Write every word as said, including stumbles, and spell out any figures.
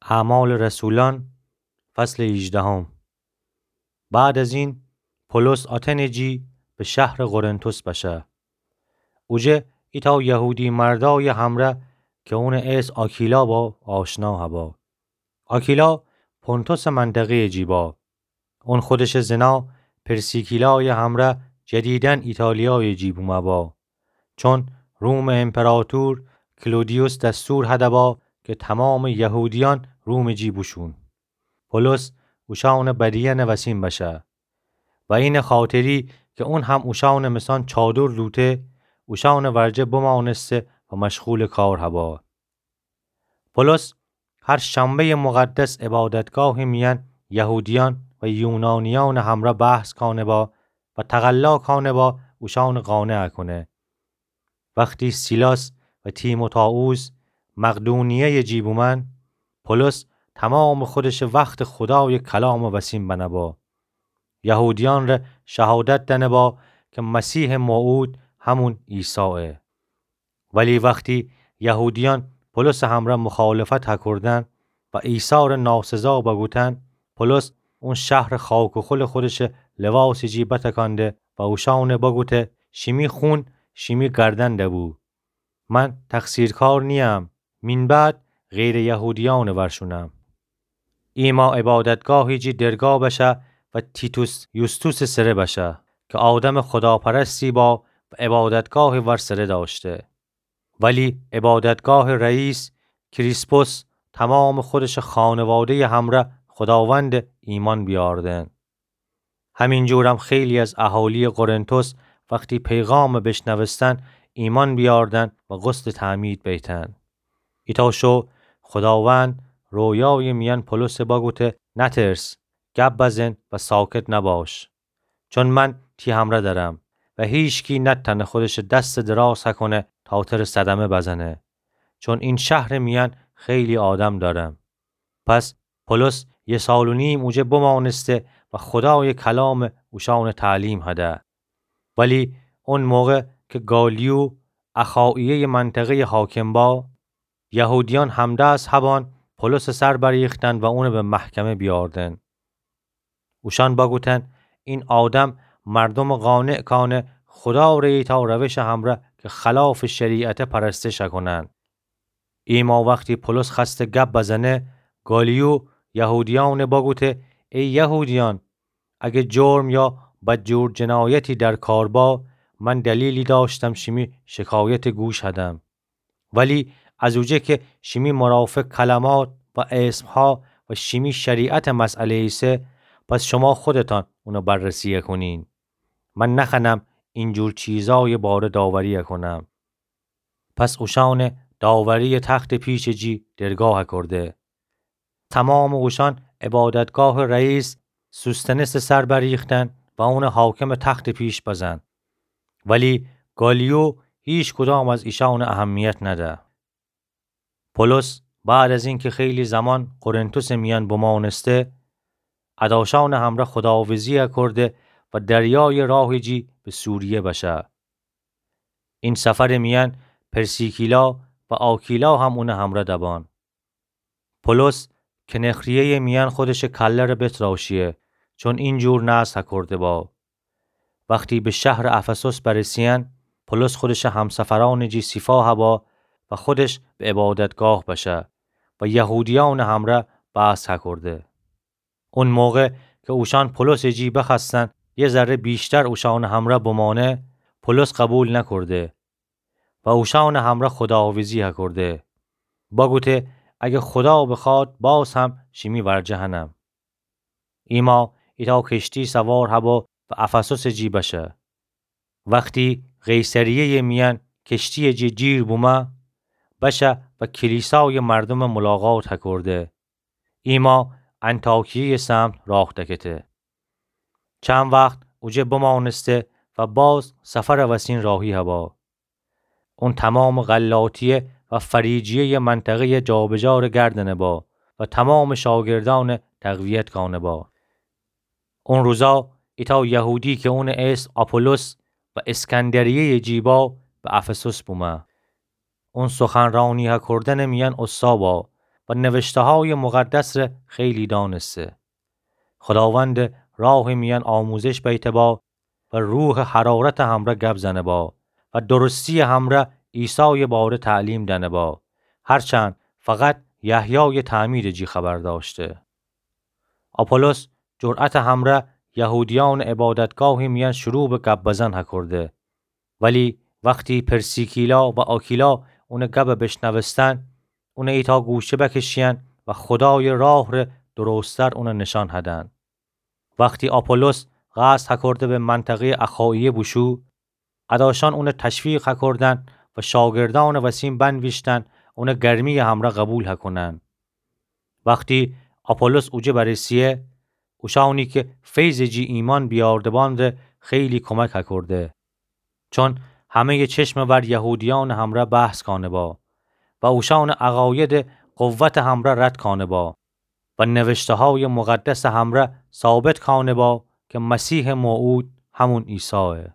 اعمال رسولان، فصل هیجدهم. بعد از این، پولس آتن جی به شهر قرنتس بشه. اوجه ایتأ یهودی مردای همره که اونٚ اسم آکیلا با آشنا هبا. آکیلا پونتوسٚ منطقه‌یٚ جی با. اون خودشٚ زنا پرسیکیلایٚ همره جدیداً ایتالیایٚ جی بومه با. چون رومٚ امپراطور کلودیوس دستور هده با که تمامٚ یهودیأن رومٚ جی بوشون. پولس اوشأنٚ بدیأنٚ وسین بشه. و اینٚ خاطری که اون هم اوشأنٚ مثان چادر لوته، اوشأنٚ ورجه بمانسته و مشغولٚ کار هبا. پولس هر شنبه‌یٚ مقدس عبادتگاهٚ میأن یهودیأن و یونانیأنٚ همره بحث کانه با و تقلا کانه با اوشأنٚ قانع کونه. وختی سیلاس و تیموتائوس مقدونیه‌یٚ جی بومأن، پولس تمامٚ خودشٚ وخت خودایٚ کلامٚ وسین بنه با. یهودیأن ره شهادت دنه با که مسیحٚ موعود همون عیسایه. ولی وختی یهودیأن پولسٚ همره مخالفت هکردن و عیسی ره ناسزا بگوتن، پولس اون شهرٚ خاک و خولٚ خودشٚ لواسٚ جی بتکانده و اوشأنه بگوته: شیمی خون شیمی گردن دبو. من تقصیرکار نییم، مین بعد غیرٚ یهودیأنٚ ور شونم. ایما عبادتگاهٚ جی درگاه بشه و تیتوس یوستوسٚ سره بشه که آدمٚ خداپرستی با و عبادتگاهٚ ور سره داشته. ولی عبادتگاهٚ رئیس کریسپوس تمامٚ خودشٚ خانواده‌یٚ همره خداوند ایمأن بیاردن. همین جورم خیلی از اهالی‌یٚ قرنتس وختی پیغام بشنوستن، ایمأن بیاردن و غسلٚ تعمید بیتن. ایتأ شو خداوند رویایٚ میأن پولسه بگوته: نترس، گب بزن و ساکت نباش. چون من تی همره درم و هیچکی نتأنه خودشٚ دستٚ دراز هکونه تا تره صدمه بزنه. چون این شهرٚ میأن خیلی آدم دارم. پس پولس یه سال و نیم اوجه بمانسته و خدایٚ کلام اوشأنٚ تعلیم هده. ولی اون موقع که گالیو اخائیه‌یٚ منطقه‌یٚ حاکم با، یهودیأن همدست هبأن پولسٚ سر بریختن و اونه به محکمه بیاردن. اوشأن بگوتن: این آدم مردومٚ قانع کانه خدا ره ایتأ روشٚ همره که خلافٚ شریعته پرستش هکونن. ایما وختی پولس خوأسته گب بزنه، گالیو یهودیأنه بگوته: ای یهودیأن، اگه جرم یا بدجور جنایتی در کار با، من دلیلی داشتم شیمی شکایته گوش هدم. ولی از اوجه که شیمی مرافق کلمات و اسمها و شیمی شریعته مسئله ایسه، پس شما خودتأن اونه بررسی هکونین. من نخوأنم اینجور چیزایٚ باره داوری هکونم. پس اوشأنه داوریٚ تختٚ پیشٚ جی درگاه هکرده. تومامٚ اوشأن عبادتگاهٚ رئیس سوستنسٚ سر بریختن و اونه حاکمٚ تختٚ پیش بزن. ولی گالیو هیچ کدام از ایشأنه اهمیت نده. پولس بعد از اینکه خیلی زمان قرنتسٚ میأن بمانسته، اداشأنٚ همره خداحافظی هکرده و دریایٚ راهٚ جی به سوریه بشه. این سفرٚ میأن پرسیکیلا و آکیلا هم اونٚ همره دبأن. پولس کنخریه‌یٚ میأن خودشٚ کله‌ره بتراشیه، چون اینجور نذر هکرده با. وختی به شهرٚ افسوس برسیأن، پولس خودشٚ همسفرأنٚ جی سیفا هبا و خودش به عبادتگاه بشه و یهودیأنٚ همره بحث هکرده. اون موقع که اوشأن پولسٚ جی بخوأستن یه ذره ویشتر اوشأنٚ همره بمأنه، پولس قبول نکرده و اوشأنٚ همره خداحافظی هکرده. بگوته: اگه خدا بخوأد، باز هم شیمی ورجه هنم. ایما ایتأ کشتی سوار هبا و افسوسٚ جی بشه. وختی قیصریه‌یٚ میأن کشتییٚ جی جیر بومه، بشه و کلیسایٚ مردومٚ ملاقات هکرده. ایما انطاکیه‌یٚ سمت راه دکته. چند وخت اوجه بمأنسته و باز سفرٚ وسین راهی هبا. اون تومامٚ غلاطیه و فریجیه‌یٚ منطقه‌یٚ جابجاره گردنه با و تومامٚ شاگردأنه تقویت کانه با. اون روزا ایتأ یهودی که اونٚ اسم آپولوس و اسکندریه‌یٚ جی با به افسوس بومه. اون سخنرانی هکردنٚ میأن اوسا با و نوشته‌هایٚ مقدس ره خیلی دأنسته. خوداوندٚ راهٚ میأن آموزش بیته با و روحٚ حرارتٚ همرأ گب زنه با و درستی‌یٚ همرأ عیسایٚ باره تعلیم دأنه با، هرچند فقط یحیایٚ تعمیدٚ جی خبر دأشته. آپولوس جرأتٚ همرأ یهودیأنٚ عبادتگاهٚ میأن شروع به گب بزن هکرده، ولی وختی پرسیکیلا و آکیلا اونٚ گب بشنوستن، اون ایتا گوشه بکشیین و خودایٚ راه ره درستر اون نیشأن هدن. وختی آپولوس قصد هکرده به منطقه‌یٚ اخایه بوشو، ادأشأن اون تشویق هکردن و شاگردأنٚ وسین بنویشتن اون گرمی‌یٚ همرأ قبول هکونن. وختی آپولوس اوجه برسه‌یه، اوشأنی که فیضٚ جی ایمأن بیأرده بأن ره خیلی کمک هکرده. چون همه‌یٚ چشمٚ ور یهودیأنٚ همرأ بحث کأنه با و اوشأنٚ عقاید قوتٚ همرأ رد کأنه با و نوشته‌هایٚ مقدسٚ همرأ ثابت کأنه با که مسیحٚ موعود همون عیسایه.